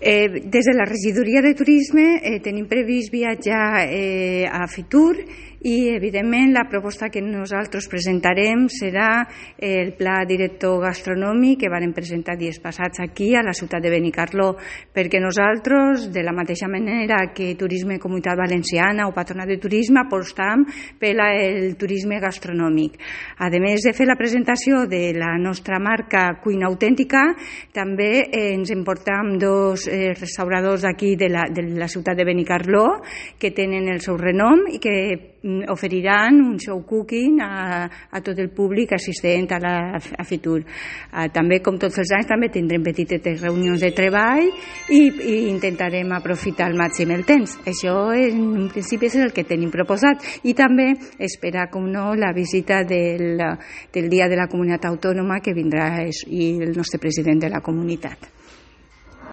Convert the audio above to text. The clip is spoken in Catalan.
Des de la regidoria de turisme tenim previst viatjar a Fitur i evidentment la proposta que nosaltres presentarem serà el pla director gastronòmic que vàrem presentar dies passats aquí a la ciutat de Benicarló, perquè nosaltres, de la mateixa manera que Turisme Comunitat Valenciana o Patronat de Turisme, apostam pel turisme gastronòmic. A més de fer la presentació de la nostra marca Cuina Autèntica, també ens emportam dos restauradors d'aquí de la ciutat de Benicarló que tenen el seu renom i que oferiran un show cooking a tot el públic assistent a Fitur. També, com tots els anys, també tindrem petites reunions de treball i intentarem aprofitar al màxim el temps. Això, en principi, és el que tenim proposat. I també esperar, com no, la visita del Dia de la Comunitat Autònoma que vindrà i el nostre president de la comunitat.